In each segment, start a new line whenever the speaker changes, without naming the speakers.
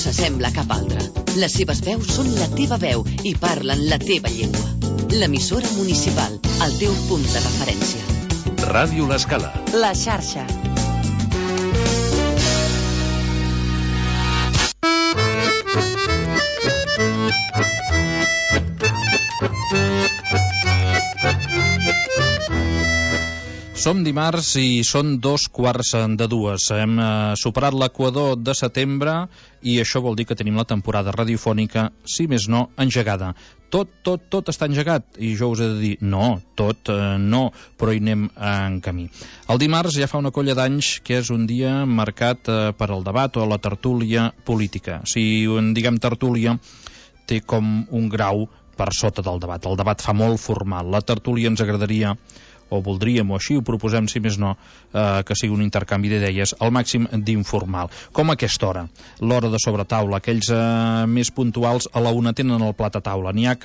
s'assembla a cap altra. Les seves veus són la teva veu i parlen la teva llengua. L'emissora municipal, el teu punt de referència.
Ràdio L'Escala.
La xarxa.
Som dimarts i són 2:15. Hem superat l'equador de setembre i això vol dir que tenim la temporada radiofònica, si més no, engegada. Tot està engegat i jo us he de dir, no, no, però hi anem en camí. El dimarts ja fa una colla d'anys que és un dia marcat per al debat o la tertúlia política. Si en diguem tertúlia, té com un grau per sota del debat. El debat fa molt formal. La tertúlia ens agradaria, o voldríem, o així ho proposem, si més no, que sigui un intercanvi d'idees al màxim d'informal. Com a aquesta hora, l'hora de sobretaula, aquells més puntuals a la una tenen el plat a taula. N'hi ha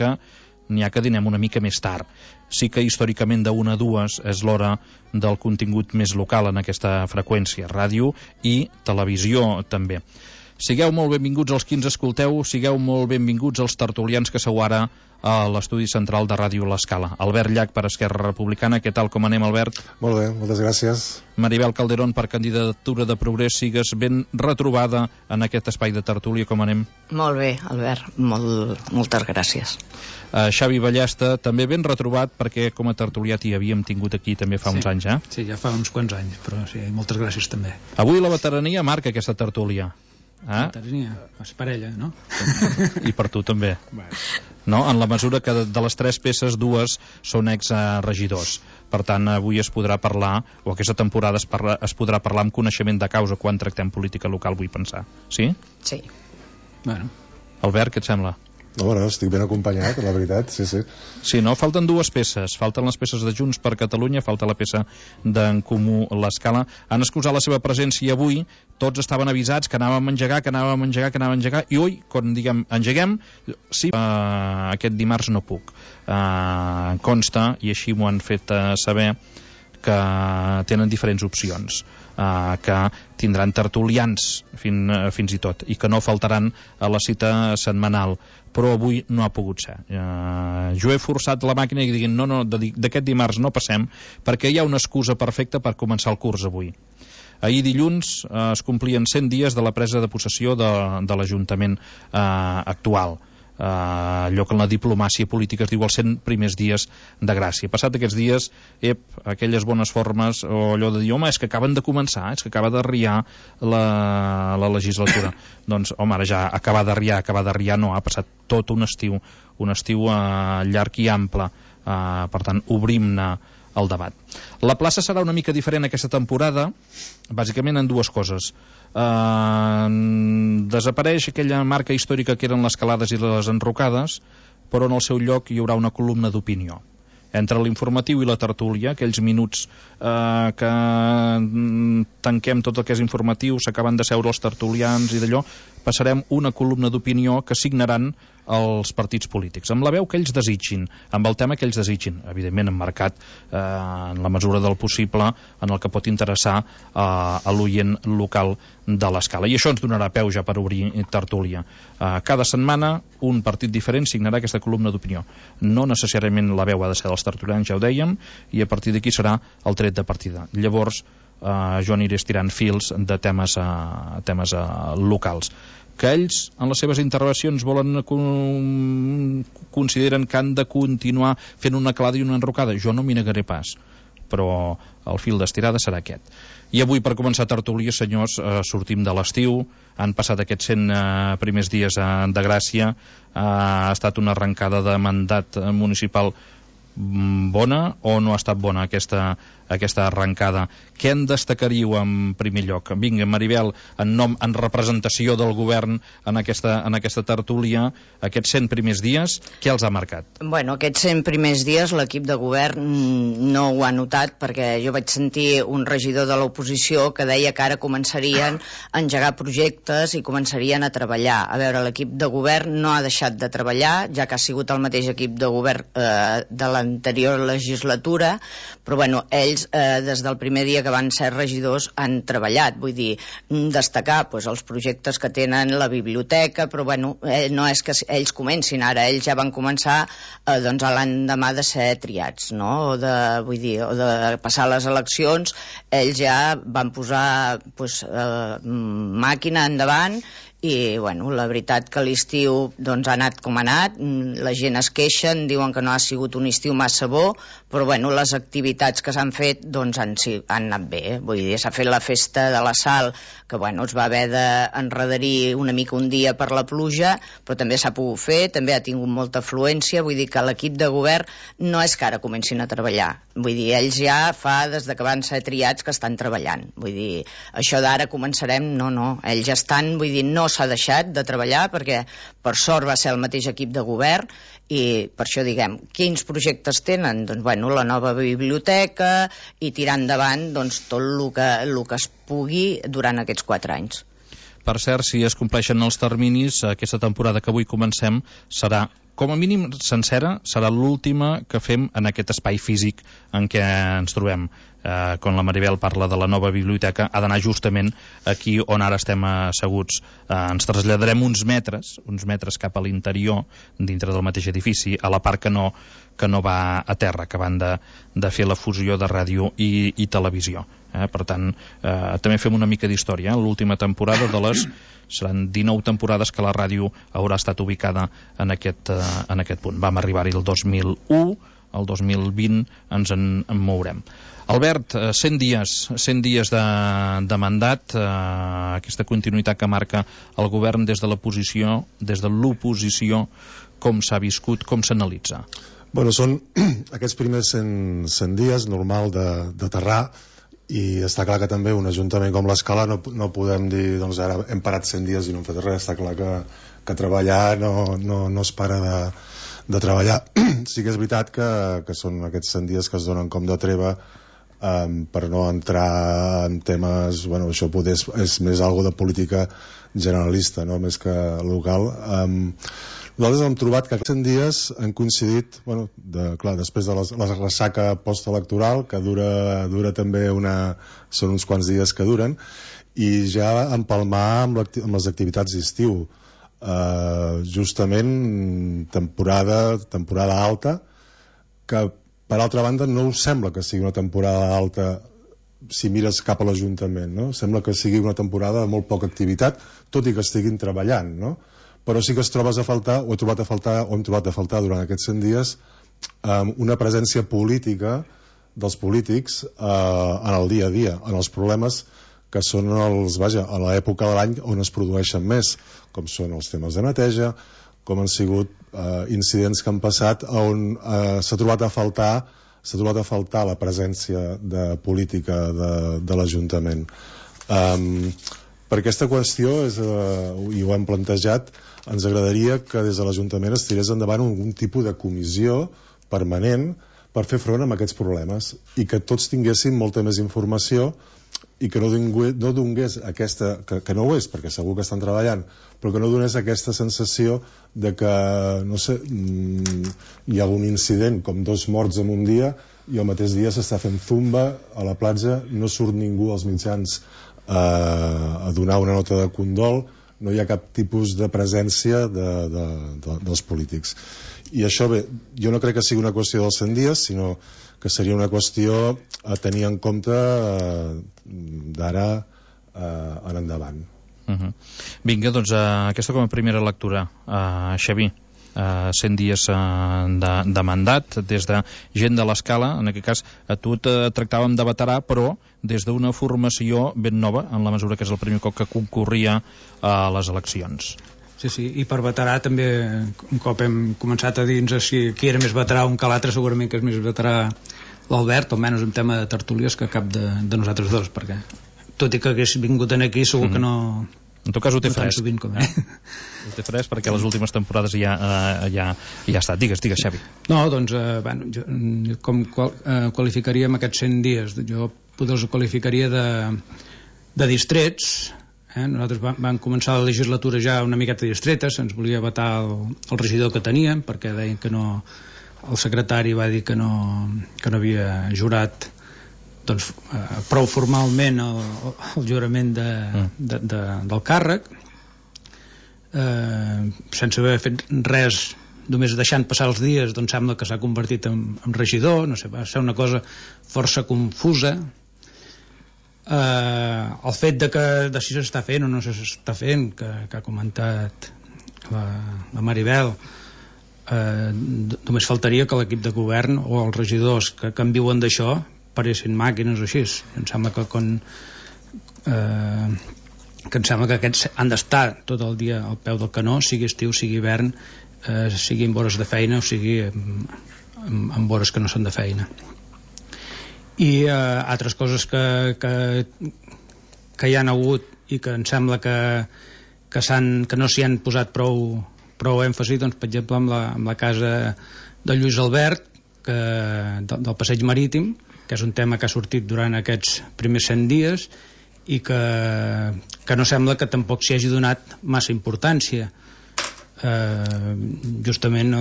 que dinem una mica més tard. Sí que històricament de 1 a 2 és l'hora del contingut més local en aquesta freqüència, ràdio i televisió també. Sigueu molt benvinguts els qui ens escolteu, sigueu molt benvinguts els tertulians que sou ara a l'estudi central de Ràdio L'Escala. Albert Llach per Esquerra Republicana, què tal, com anem, Albert?
Molt bé, moltes gràcies.
Maribel Calderón per Candidatura de Progrés, sigues ben retrobada en aquest espai de tertúlia, com anem?
Molt bé, Albert, moltes gràcies.
Xavi Ballesta, també ben retrobat, perquè com a tertulià t'hi havíem tingut aquí també fa uns anys, eh?
Sí, ja fa uns quants anys, però sí, moltes gràcies també.
Avui la veterania marca aquesta tertúlia.
Veterania, és parella, no?
I per tu també. No? En la mesura que de les 3 peces, 2 són ex-regidors. Per tant, avui es podrà parlar, o aquesta temporada es podrà parlar amb coneixement de causa quan tractem política local, vull pensar. Sí?
Sí.
Bueno.
Albert, què et sembla?
No, bueno, estic ben acompanyat, la veritat, sí.
Sí, no? Falten 2 peces. Falten les peces de Junts per Catalunya, falta la peça d'en Comú L'Escala. Han excusat la seva presència i avui tots estaven avisats que anàvem a engegar, i ui, quan diguem engeguem, sí, aquest dimarts no puc. Consta, i així m'ho han fet saber, que tenen diferents opcions, que tindran tertulians fins i tot, i que no faltaran a la cita setmanal, però avui no ha pogut ser. Jo he forçat la màquina i diguin, no, d'aquest dimarts no passem, perquè hi ha una excusa perfecta per començar el curs avui. Ahir dilluns es complien 100 dies de la presa de possessió de l'Ajuntament actual. Allò que en la diplomàcia política es diu els 100 primers dies de gràcia. Passat aquests dies, aquelles bones formes, o allò de dir, home, és que acaben de començar, és que acaba d'arriar la legislatura. Doncs, home, ara ja acabar d'arriar no, ha passat tot un estiu llarg i ample. Per tant, obrim-ne el debat. La plaça serà una mica diferent aquesta temporada, bàsicament en 2 coses. Desapareix aquella marca històrica que eren les calades i les enrocades, però en el seu lloc hi haurà una columna d'opinió. Entre l'informatiu i la tertúlia, aquells minuts que tanquem tot el que és informatiu, s'acaben de seure els tertulians i d'allò, passarem una columna d'opinió que signaran els partits polítics, amb la veu que ells desitgin, amb el tema que ells desitgin, evidentment emmarcat en la mesura del possible en el que pot interessar a l'oient local de l'Escala. I això ens donarà peu ja per obrir tertúlia. Cada setmana un partit diferent signarà aquesta columna d'opinió. No necessàriament la veu ha de ser dels tertulians, ja ho dèiem, i a partir d'aquí serà el tret de partida. Llavors jo aniré estirant fils de temes locals que ells en les seves intervencions consideren que han de continuar fent una calada i una enrocada. Jo no m'hi negaré pas, però el fil d'estirada serà aquest. I avui, per començar tertúlia, senyors, sortim de l'estiu, han passat aquests 100 primers dies de gràcia, ha estat una arrencada de mandat municipal bona o no ha estat bona aquesta arrencada? Què en destacaríeu en primer lloc? Vinga, Maribel, en representació del govern en aquesta tertúlia, aquests 100 primers dies, què els ha marcat?
Bueno, aquests 100 primers dies l'equip de govern no ho ha notat, perquè jo vaig sentir un regidor de l'oposició que deia que ara començarien a engegar projectes i començarien a treballar. A veure, l'equip de govern no ha deixat de treballar, ja que ha sigut el mateix equip de govern de l'anterior legislatura, però bueno, ells des del primer dia que van ser regidors han treballat, vull dir, destacar doncs, els projectes que tenen la biblioteca, però bueno, no és que ells comencin ara, ells ja van començar doncs, a l'endemà de ser triats, no? O de passar les eleccions, ells ja van posar doncs, màquina endavant. I bueno, la veritat que l'estiu doncs, ha anat com ha anat, la gent es queixen, diuen que no ha sigut un estiu massa bo, però bueno, les activitats que s'han fet doncs, han anat bé, vull dir, s'ha fet la festa de la Sal, que bueno, es va haver d'enredarir una mica un dia per la pluja, però també s'ha pogut fer, també ha tingut molta afluència, vull dir que l'equip de govern no és que ara comencin a treballar, vull dir, ells ja fa des de que van ser triats que estan treballant, vull dir, això d'ara començarem, no, ells ja estan, vull dir, no s'ha deixat de treballar perquè per sort va ser el mateix equip de govern i per això diguem, quins projectes tenen? Doncs bueno, la nova biblioteca i tirar endavant doncs, tot el que es pugui durant aquests 4 anys.
Per cert, si es compleixen els terminis, aquesta temporada que avui comencem serà, com a mínim sencera, serà l'última que fem en aquest espai físic en què ens trobem. Quan la Maribel parla de la nova biblioteca, ha d'anar justament aquí on ara estem asseguts. Ens traslladarem uns metres cap a l'interior, dintre del mateix edifici, a la part que no va a terra, que van de fer la fusió de ràdio i televisió. Per tant, també fem una mica d'història. L'última temporada seran 19 temporades que la ràdio haurà estat ubicada en aquest punt. Vam arribar-hi el 2001, el 2020 ens en mourem. Albert, 100 dies de mandat, aquesta continuïtat que marca el govern des de l'oposició, com s'ha viscut, com s'analitza?
Bueno, són aquests primers 100 dies, normal d'aterrar, i està clar que també un ajuntament com l'Escala no podem dir, doncs ara hem parat 100 dies i no hem fet res, està clar que treballar no es para de treballar. Sí que és veritat que són aquests 100 dies que es donen com de treva per no entrar en temes, bueno, això poder és més algo de política generalista, no? Més que local. Nosaltres hem trobat que aquests 100 dies han coincidit, bueno, clar, després de la ressaca postelectoral, que dura també són uns quants dies que duren, i ja empalmar amb les activitats d'estiu. Justament temporada alta, que per altra banda no us sembla que sigui una temporada alta si mires cap a l'Ajuntament, no? Sembla que sigui una temporada de molt poca activitat, tot i que estiguin treballant, no? Però sí que hem trobat a faltar durant aquests 100 dies una presència política dels polítics en el dia a dia, en els problemes que són a l'època de l'any on es produeixen més, com són els temes de neteja, com han sigut incidents que han passat on s'ha trobat a faltar la presència de política de l'Ajuntament. Per aquesta qüestió, i ho hem plantejat, ens agradaria que des de l'Ajuntament es tirés endavant un tipus de comissió permanent per fer front a aquests problemes i que tots tinguessin molta més informació i que no donés aquesta, que no ho és, perquè segur que estan treballant, però que no donés aquesta sensació de que, no sé, hi ha un incident com 2 morts en un dia i el mateix dia s'està fent zumba a la platja, no surt ningú als mitjans a donar una nota de condol, no hi ha cap tipus de presència dels polítics. I això, bé, jo no crec que sigui una qüestió dels 100 dies, sinó que seria una qüestió a tenir en compte d'ara en endavant.
Vinga, doncs aquesta com a primera lectura. Xavi, 100 dies de mandat des de gent de l'Escala, en aquest cas a tu et tractàvem de veterà, però des d'una formació ben nova, en la mesura que és el primer cop que concorria a les eleccions.
Sí, i per veterà també, un cop hem començat a dir-nos si qui era més veterà un que l'altre, segurament que és més veterà l'Albert, almenys en tema de tertúlies, que cap de nosaltres dos, perquè tot i que hagués vingut aquí segur que no...
En tot cas ho té fresc.
Ho
té fresc perquè les últimes temporades ja ha estat. Digues, Xavi.
No, doncs, com qualificaríem aquests 100 dies? Jo potser els qualificaria de distrets. Nosaltres vam començar la legislatura ja una miqueta distreta, se'ns volia vetar el regidor que teníem perquè deien que no el secretari va dir que no havia jurat doncs, prou formalment el jurament del càrrec, sense haver fet res, només deixant passar els dies, doncs sembla que s'ha convertit en regidor, no sé, va ser una cosa força confusa. El fet de si s'està fent o no s'està fent, que ha comentat la Maribel, només faltaria que l'equip de govern o els regidors que en viuen d'això paressin màquines o així. Em sembla que em sembla que aquests han d'estar tot el dia al peu del canó, sigui estiu, sigui hivern, sigui en hores de feina o sigui en hores que no són de feina. I altres coses que hi han hagut i que em sembla que no s'hi han posat prou èmfasi, doncs, per exemple, amb la casa de Lluís Albert, del passeig marítim, que és un tema que ha sortit durant aquests primers 100 dies i que no sembla que tampoc s'hi hagi donat massa importància. Justament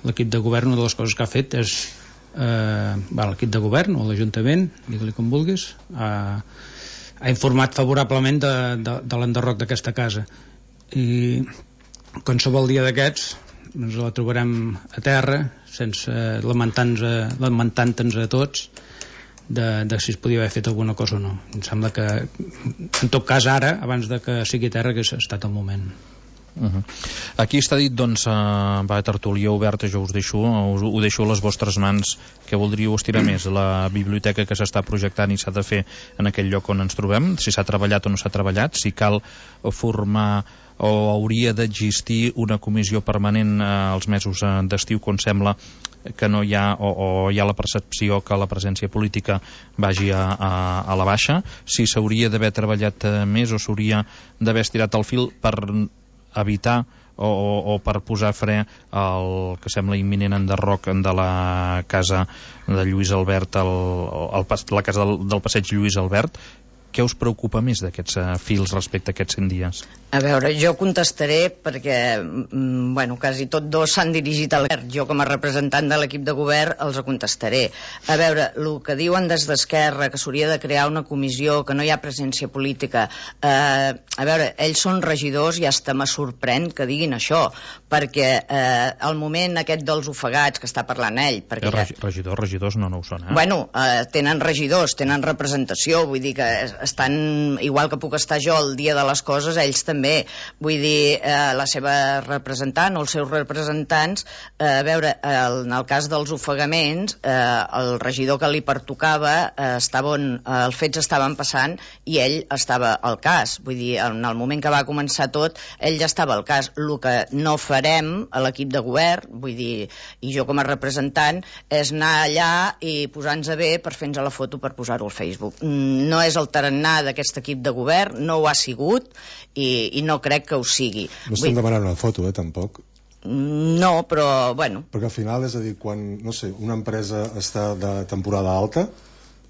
l'equip de govern, una de les coses que ha fet és l'equip de govern o l'Ajuntament, digue-li com vulguis, ha informat favorablement de l'enderroc d'aquesta casa, i qualsevol dia d'aquests ens la trobarem a terra lamentant-nos a tots de si es podia haver fet alguna cosa o no. Em sembla que en tot cas ara, abans de que sigui terra, que ha estat el moment.
Aquí està dit, doncs, va, tertúlia oberta, jo ho deixo a les vostres mans. Què voldríeu estirar més? La biblioteca que s'està projectant i s'ha de fer en aquell lloc on ens trobem, si s'ha treballat o no s'ha treballat, si cal formar o hauria d'existir una comissió permanent als mesos d'estiu, quan sembla que no hi ha, o hi ha la percepció que la presència política vagi a la baixa, si s'hauria d'haver treballat més o s'hauria d'haver estirat el fil per evitar o per posar fre al que sembla imminent enderroc de la casa de Lluís Albert, la casa del passeig Lluís Albert. Què us preocupa més d'aquests fils respecte a aquests 100 dies?
A veure, jo contestaré perquè, quasi tots dos s'han dirigit al govern. Jo, com a representant de l'equip de govern, els contestaré. A veure, el que diuen des d'Esquerra, que s'hauria de crear una comissió, que no hi ha presència política, a veure, ells són regidors i hasta me sorprèn que diguin això, perquè al moment aquest dels ofegats que està parlant ell...
Regidors no ho són,
tenen regidors, tenen representació, vull dir que estan, igual que puc estar jo el dia de les coses, ells també. Vull dir, la seva representant o els seus representants, a veure, en el cas dels ofegaments, el regidor que li pertocava els fets estaven passant i ell estava al cas. Vull dir, en el moment que va començar tot, ell ja estava al cas. El que no farem a l'equip de govern, vull dir, i jo com a representant, és anar allà i posar-nos bé per fer-nos la foto per posar-ho al Facebook. No és el tarannà d'aquest equip de govern, no ho ha sigut i no crec que ho sigui.
No estem demanant una foto, tampoc.
No, però,
Perquè al final, és a dir, quan, no sé, una empresa està de temporada alta,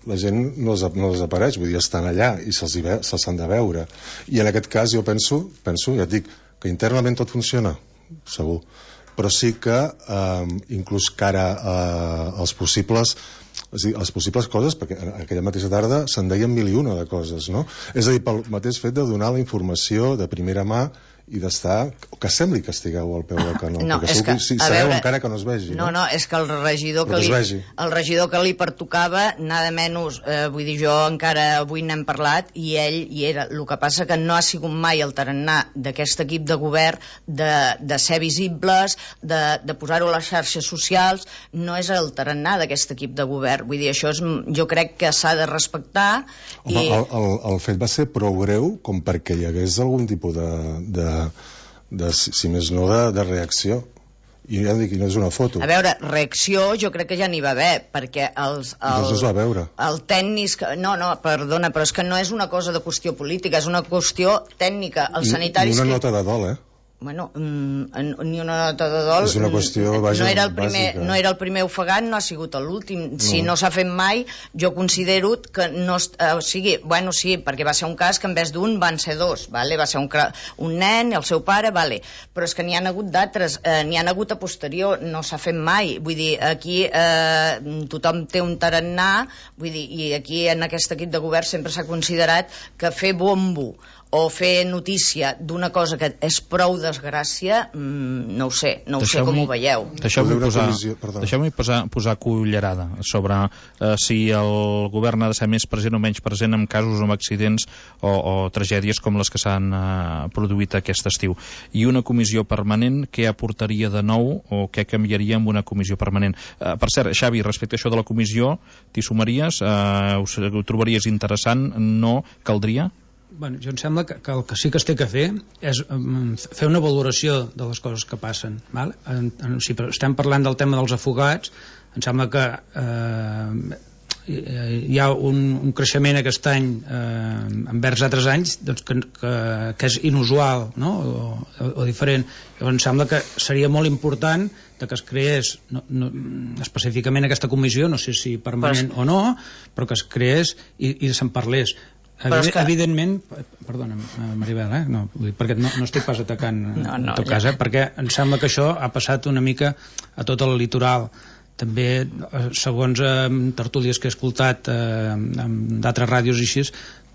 la gent no desapareix, vull dir, estan allà i se'ls han de veure. I en aquest cas jo penso, ja et dic, que internament tot funciona, segur, però sí que inclús cara als possibles coses, perquè aquella mateixa tarda se'n deien 1001 de coses, no? És a dir, pel mateix fet de donar la informació de primera mà i d'estar, que sembli que estigueu al peu del canó, perquè si sabeu encara que no es vegi.
No, és que el regidor que li pertocava, nada menys, vull dir, jo encara avui n'hem parlat i ell hi era. El que passa que no ha sigut mai el tarannà d'aquest equip de govern de ser visibles, de posar-ho a les xarxes socials, no és el tarannà d'aquest equip de govern. Vull dir, això jo crec que s'ha de respectar.
El fet va ser prou greu com perquè hi hagués algun tipus si més no, de reacció. I ja dic, no és una foto.
A veure, reacció jo crec que ja n'hi va haver, perquè
doncs es va veure.
El tècnic... No, perdona, però és que no és una cosa de qüestió política, és una qüestió tècnica. Els sanitaris...
Una nota de dol,
Bueno, ni una nota de dol.
És una qüestió, vaja, bàsica.
No era el primer ofegat, no ha sigut l'últim. Si no s'ha fet mai, jo considero que no... Bueno, sí, perquè va ser un cas que en vez d'un van ser dos, vale? Va ser un nen, el seu pare, vale. Però és que n'hi ha hagut d'altres, n'hi ha hagut a posterior, no s'ha fet mai. Vull dir, aquí tothom té un tarannà, vull dir, i aquí en aquest equip de govern sempre s'ha considerat que fer bombo o fer notícia d'una cosa que és prou desgràcia, no ho sé com ho veieu.
Deixeu-me posar cullerada sobre si el govern ha de ser més present o menys present en casos o en accidents o tragèdies com les que s'han produït aquest estiu. I una comissió permanent, què aportaria de nou o què canviaria amb una comissió permanent? Per cert, Xavi, respecte a això de la comissió, t'hi sumaries? Ho trobaries interessant? No caldria?
Bueno, jo em sembla que el que sí que es té que fer és fer una valoració de les coses que passen, val? Si estem parlant del tema dels afogats, em sembla que hi ha un creixement aquest any envers altres anys doncs, que és inusual, no? o diferent. Llavors em sembla que seria molt important que es creés específicament aquesta comissió, no sé si permanent o no, però que es creés i se'n parlés. Evidentment, perdona, Maribel, perquè no estic pas atacant en tot cas, perquè em sembla que això ha passat una mica a tot el litoral. També, segons tertúlies que he escoltat d'altres ràdios i així,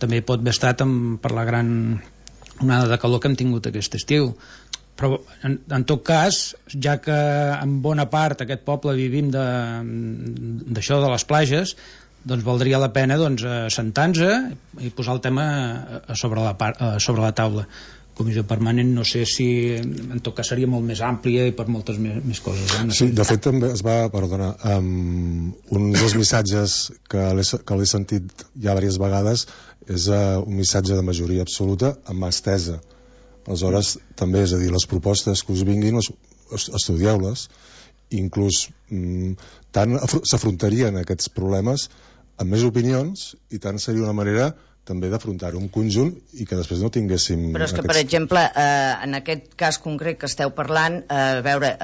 també pot haver estat per la gran onada de calor que hem tingut aquest estiu. Però en tot cas, ja que en bona part aquest poble vivim d'això de les platges, doncs valdria la pena sentar-nos i posar el tema sobre la taula. Comissió permanent no sé si en tot cas seria molt més àmplia i per moltes més coses.
Sí, de fet també es va, perdona, un dels missatges que l'he sentit ja diverses vegades és un missatge de majoria absoluta amb mà estesa. Aleshores, també, és a dir, les propostes que us vinguin, estudieu-les, inclús tant s'afrontarien aquests problemes amb més opinions i tant seria una manera també d'afrontar-ho en conjunt i que després no tinguéssim...
Però és que, per exemple, en aquest cas concret que esteu parlant, a veure,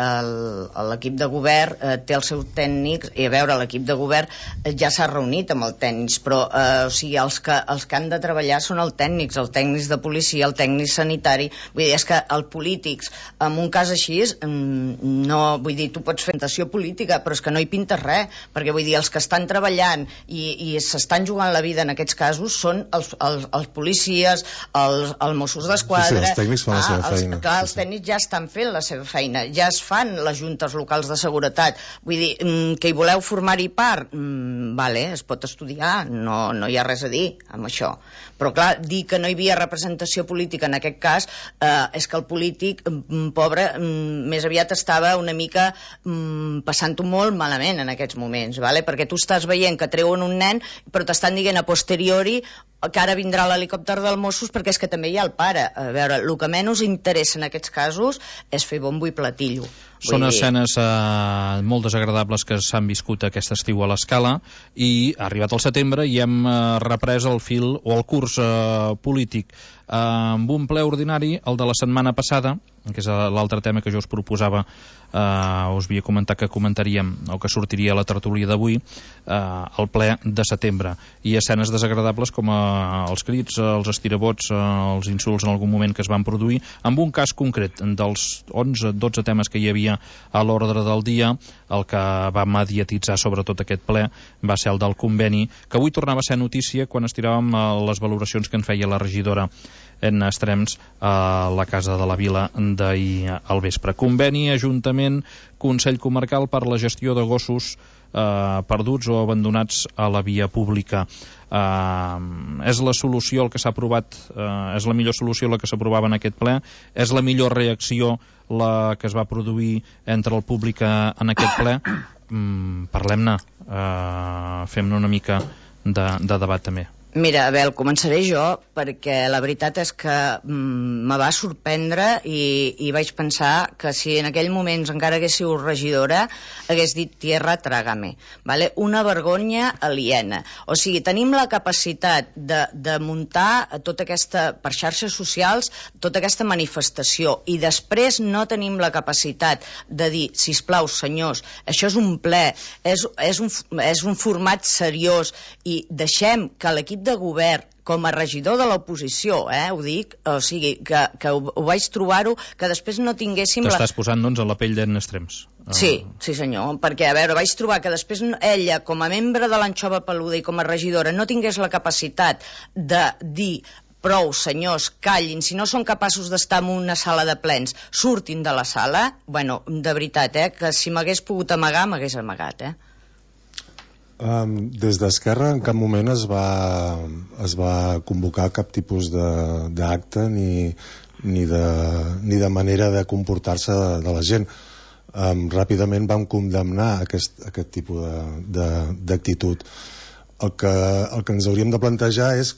l'equip de govern té els seus tècnics i a veure, l'equip de govern ja s'ha reunit amb els tècnics, però o sigui, els que han de treballar són els tècnics de policia, el tècnic sanitari, vull dir, és que els polítics, en un cas així, no, vull dir, tu pots fer tentació política, però és que no hi pintes res, perquè vull dir, els que estan treballant i s'estan jugant la vida en aquests casos són els policies, els Mossos d'Esquadra.
Sí, els tècnics fan la seva feina.
Clar, els tècnics ja estan fent la seva feina, ja es fan les juntes locals de seguretat. Vull dir, que hi voleu formar-hi part, vale, es pot estudiar, no hi ha res a dir amb això. Però clar, dir que no hi havia representació política en aquest cas és que el polític, pobre, més aviat estava una mica passant-ho molt malament en aquests moments, vale? Perquè tu estàs veient que treuen un nen, però t'estan dient a posteriori que ara vindrà l'helicòpter del Mossos perquè és que també hi ha el pare. A veure, el que menys interessa en aquests casos és fer bombo i platillo.
Són escenes molt desagradables que s'han viscut aquest estiu a l'Escala i ha arribat el setembre i hem reprès el fil o el curs polític amb un ple ordinari, el de la setmana passada, que és l'altre tema que jo us proposava, us havia comentat que comentaríem o que sortiria a la tertúlia d'avui, el ple de setembre, i escenes desagradables com els crits, els estirabots, els insults en algun moment que es van produir, amb un cas concret dels 11-12 temes que hi havia a l'ordre del dia. El que va mediatitzar sobretot aquest ple va ser el del conveni, que avui tornava a ser notícia quan estiràvem les valoracions que en feia la regidora en Estrems a la Casa de la Vila d'ahir al vespre. Conveni, Ajuntament, Consell Comarcal per la gestió de gossos perduts o abandonats a la via pública. És la solució el que s'ha aprovat, és la millor solució la que s'aprovava en aquest ple, és la millor reacció la que es va produir entre el públic en aquest ple. Parlem-ne, fem-ne una mica de debat també.
Mira, Abel, començaré jo, perquè la veritat és que me va sorprendre i vaig pensar que si en aquell moment encara hagués sigut regidora, hagués dit tierra trágame, ¿vale? Una vergonya aliena. O sigui, tenim la capacitat de muntar tota aquesta, per xarxes socials, tota aquesta manifestació, i després no tenim la capacitat de dir, sisplau, senyors, això és un ple, és un format seriós, i deixem que l'equip de govern, com a regidor de l'oposició, ho dic, o sigui, que ho vaig trobar-ho, que després no tinguéssim...
T'estàs posant, doncs, a la pell d'en extrems.
Sí, senyor, perquè, a veure, vaig trobar que després ella, com a membre de l'Anxova Peluda i com a regidora, no tingués la capacitat de dir prou, senyors, callin, si no són capaços d'estar en una sala de plens, surtin de la sala. Bueno, de veritat, que si m'hagués pogut amagar, m'hagués amagat,
Des d'Esquerra en cap moment es va convocar cap tipus d'acte ni de manera de comportar-se de la gent. Ràpidament vam condemnar aquest tipus d'actitud. El que ens hauríem de plantejar és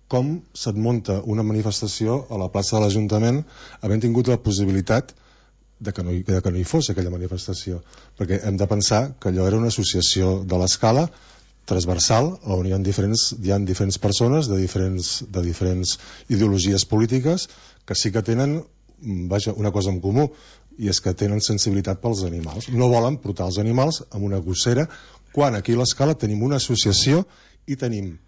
com se't munta una manifestació a la plaça de l'Ajuntament havent tingut la possibilitat de que no hi fos aquella manifestació, perquè hem de pensar que allò era una associació de l'escala transversal on hi ha diferents persones de diferents ideologies polítiques que sí que tenen una cosa en comú, i és que tenen sensibilitat pels animals. No volen portar els animals amb una gossera, quan aquí a l'escala tenim una associació i tenim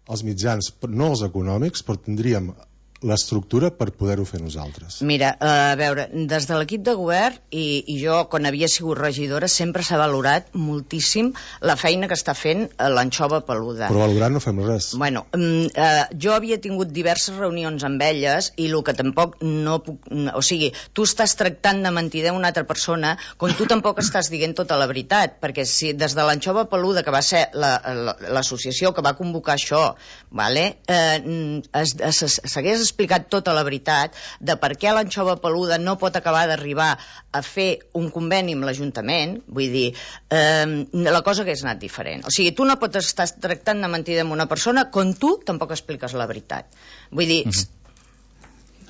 els mitjans, no els econòmics, però tindríem l'estructura per poder-ho fer nosaltres.
Mira, a veure, des de l'equip de govern i jo, quan havia sigut regidora, sempre s'ha valorat moltíssim la feina que està fent l'Anxova Peluda.
Però valorant no fem res.
Bueno, jo havia tingut diverses reunions amb elles i el que tampoc no puc... O sigui, tu estàs tractant de mentider una altra persona quan tu tampoc estàs dient tota la veritat, perquè si des de l'Anxova Peluda, que va ser l'associació que va convocar això, vale, s'hagués explicat tota la veritat de per què l'Anxova Peluda no pot acabar d'arribar a fer un conveni amb l'Ajuntament, vull dir, la cosa hagués anat diferent. O sigui, tu no pots estar tractant de mentir amb una persona quan tu tampoc expliques la veritat. Vull dir...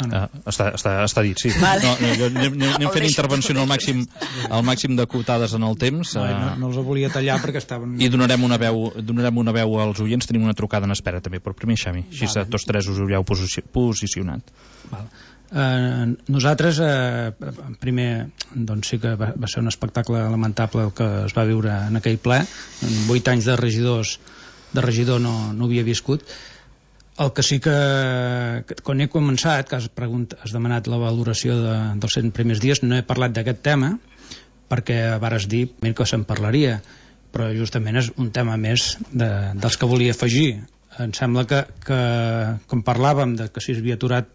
Està dit, sí. Vale. Anem fent intervenció al màxim d'acotades en el temps.
No els volia tallar perquè estaven...
I donarem una veu als oients. Tenim una trucada en espera també, però primer Xavi, així tots tres us haureu posicionat.
Nosaltres primer, doncs sí que va ser un espectacle lamentable el que es va viure en aquell ple. En 8 anys de regidor no havia viscut. El que sí que quan he començat, que has demanat la valoració dels 100 primers dies, no he parlat d'aquest tema perquè vares dir que se'n parlaria, però justament és un tema més dels que volia afegir. Em sembla que com parlàvem de que si es havia aturat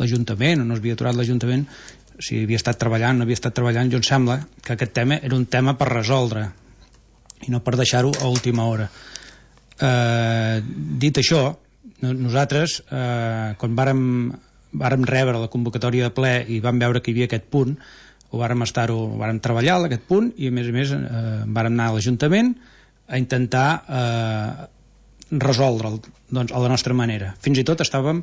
l'Ajuntament o no es havia aturat l'Ajuntament, si havia estat treballant o no havia estat treballant, jo em sembla que aquest tema era un tema per resoldre i no per deixar-ho a última hora. Dit això, nosaltres, quan vàrem rebre la convocatòria de ple i vam veure que hi havia aquest punt, vàrem treballar aquest punt i a més vàrem anar a l'Ajuntament a intentar resoldre'l a la nostra manera. Fins i tot estàvem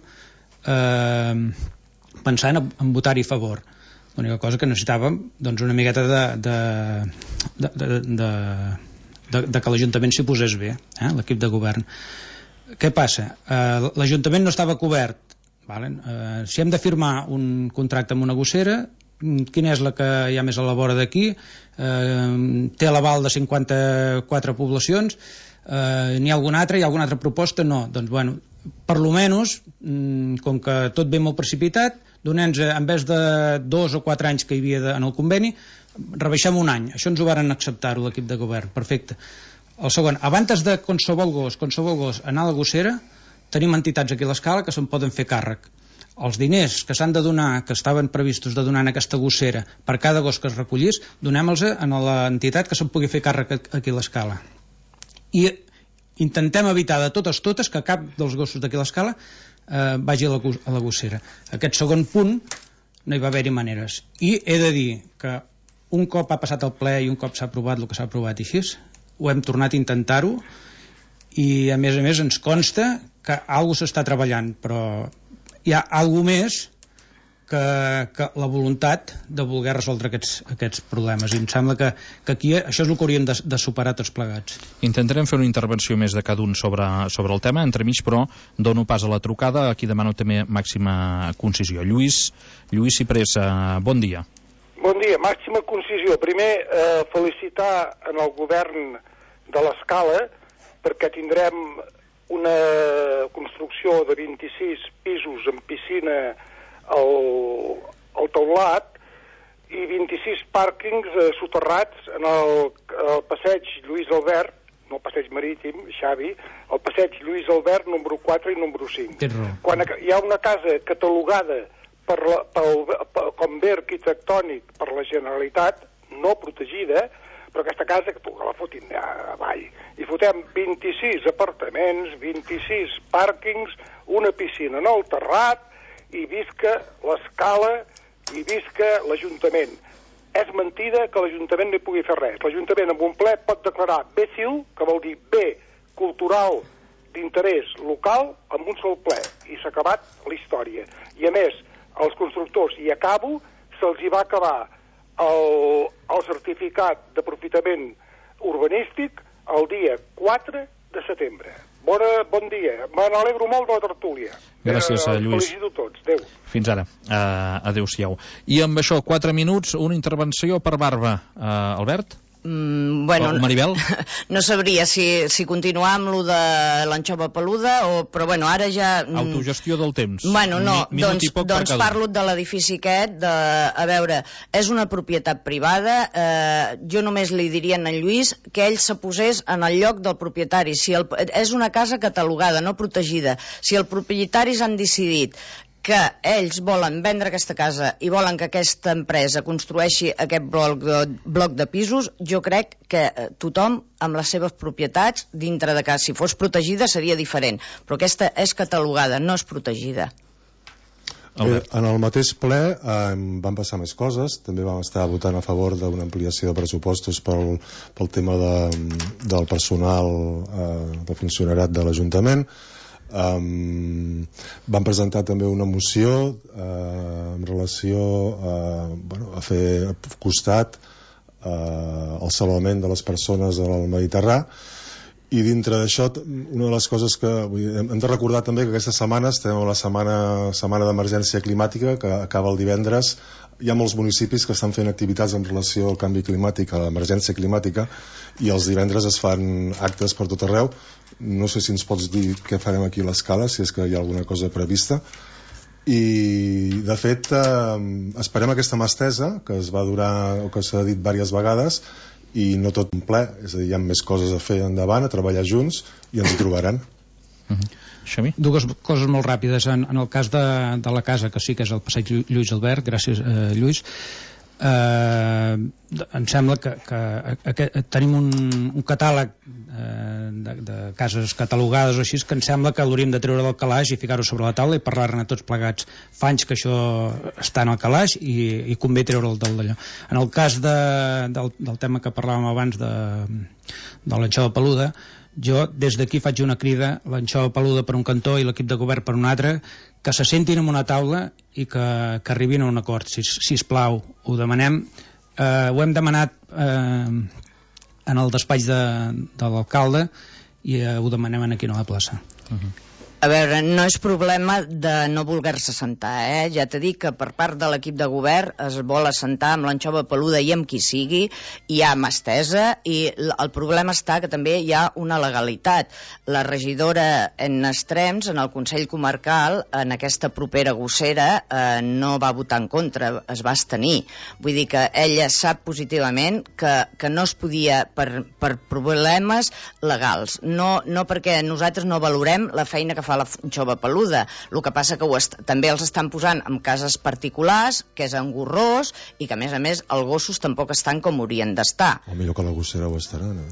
pensant en votar-hi a favor. L'única cosa que necessitàvem una miqueta de que l'Ajuntament s'hi posés bé, l'equip de govern. Què passa? L'Ajuntament no estava cobert. Si hem de firmar un contracte amb una gossera, quina és la que hi ha més a la vora d'aquí? Té l'aval de 54 poblacions? N'hi ha alguna altra? Hi ha alguna altra proposta? No. Doncs, bueno, per lo menys, com que tot ve molt precipitat, donem-nos, en vez de 2 o 4 anys que hi havia en el conveni, rebaixem un any. Això ens ho varen acceptar-ho l'equip de govern. Perfecte. El segon, abans de qualsevol gos anar a la gossera, tenim entitats aquí a l'escala que se'n poden fer càrrec. Els diners que s'han de donar, que estaven previstos de donar en aquesta gossera per cada gos que es recollís, donem-los a l'entitat que se'n pugui fer càrrec aquí a l'escala. I intentem evitar de totes que cap dels gossos d'aquí a l'escala vagi a la gossera. Aquest segon punt no hi va haver-hi maneres. I he de dir que un cop ha passat el ple i un cop s'ha aprovat el que s'ha aprovat i així, ho hem tornat a intentar-ho i a més ens consta que alguna cosa s'està treballant, però hi ha alguna més que la voluntat de voler resoldre aquests problemes, i em sembla que aquí això és el que hauríem de superar tots plegats.
Intentarem fer una intervenció més de cada un sobre el tema, entremig, però dono pas a la trucada, aquí demano també màxima concisió. Lluís Ciprés, bon dia.
Bon dia, màxima concisió. Primer, felicitar en el govern de l'Escala, perquè tindrem una construcció de 26 pisos amb piscina al teulat i 26 pàrquings soterrats en el passeig Lluís Albert, no el passeig marítim, Xavi, el passeig Lluís Albert número 4 i número 5. Quan hi ha una casa catalogada com bé arquitectònic per la Generalitat, no protegida, però aquesta casa que la fotin avall. I fotem 26 apartaments, 26 pàrquings, una piscina en el terrat, i visca l'Escala i visca l'Ajuntament. És mentida que l'Ajuntament no hi pugui fer res. L'Ajuntament amb un ple pot declarar bé civil, que vol dir bé cultural d'interès local, amb un sol ple. I s'ha acabat la història. I a més, als constructors, i acabo, se'ls hi va acabar el certificat d'aprofitament urbanístic el dia 4 de setembre. Bon dia. Me n'alegro molt de la tertúlia.
Gràcies, Lluís.
Felicito tots. Adéu.
Fins ara. Adéu-siau. I amb això, 4 minuts, una intervenció per Barba. Albert?
Bueno,
Maribel?
No sabria si continuar amb lo de l'anxova peluda però bueno, ara ja...
Autogestió del temps.
Bueno, no, doncs parlo de l'edifici aquest, a veure, és una propietat privada, jo només li diria a en Lluís que ell se posés en el lloc del propietari. És una casa catalogada, no protegida. Si els propietaris han decidit que ells volen vendre aquesta casa i volen que aquesta empresa construeixi aquest bloc de pisos, jo crec que tothom amb les seves propietats dintre de casa, si fos protegida seria diferent, però aquesta és catalogada, no és protegida.
En el mateix ple van passar més coses. També vam estar votant a favor d'una ampliació de pressupostos pel tema del personal de funcionariat de l'Ajuntament. Van presentar també una moció en relació a fer costat al salvament de les persones al Mediterrani, i dintre d'això una de les coses que hem de recordar també que aquesta setmana estem a la setmana d'emergència climàtica, que acaba el divendres. Hi ha molts municipis que estan fent activitats en relació al canvi climàtic, a l'emergència climàtica, i els divendres es fan actes per tot arreu. No sé si ens pots dir què farem aquí a l'Escala, si és que hi ha alguna cosa prevista. I de fet esperem aquesta mà estesa que es va durar, o que s'ha dit diverses vegades, i no tot un ple, és a dir, hi ha més coses a fer endavant, a treballar junts, i ens hi trobaran.
Xavi?
Dues coses molt ràpides. En el cas de la casa, que sí que és el passeig Lluís Albert, gràcies Lluís, em sembla que tenim un catàleg de cases catalogades o així, que em sembla que l'hauríem de treure del calaix i ficar-ho sobre la taula i parlar-ne tots plegats. Fa anys que això està en el calaix i convé treure'l d'allò. En el cas del tema que parlàvem abans de l'anxova peluda, jo des d'aquí faig una crida, l'anxova peluda per un cantó i l'equip de govern per un altre, que se sentin en una taula i que arribin a un acord, sisplau, ho demanem. Ho hem demanat en el despatx de l'alcalde i ho demanem aquí a la plaça.
A veure, no és problema de no voler-se assentar, ja t'he dit que per part de l'equip de govern es vol assentar amb l'anxova peluda i amb qui sigui, hi ha mà estesa, i el problema està que també hi ha una legalitat. La regidora en Extrems, en el Consell Comarcal, en aquesta propera gossera, no va votar en contra, es va abstenir. Vull dir que ella sap positivament que no es podia per problemes legals, no perquè nosaltres no valorem la feina que fa la anxova peluda. El que passa que també els estan posant en cases particulars, que és engorrós, i que a més els gossos tampoc estan com haurien d'estar.
O millor que la gossera ho estarà, no?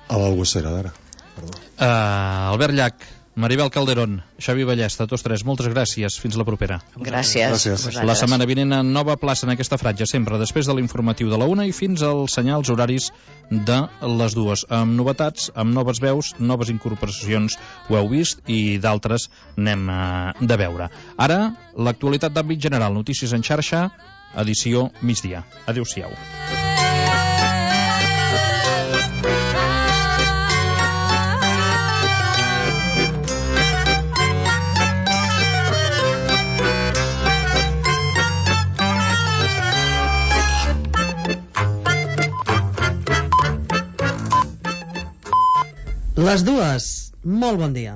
A la gossera d'ara, perdó.
Albert Llach, Maribel Calderón, Xavi Ballesta, tots tres, moltes gràcies. Fins la propera.
Gràcies.
La setmana vinent en nova plaça en aquesta franja, sempre després de l'informatiu de la 1 i fins als senyals horaris de les 2, amb novetats, amb noves veus, noves incorporacions, ho heu vist, i d'altres n'hem de veure. Ara, l'actualitat d'àmbit general, notícies en xarxa, edició migdia. Adéu-siau.
Les dues, molt bon dia.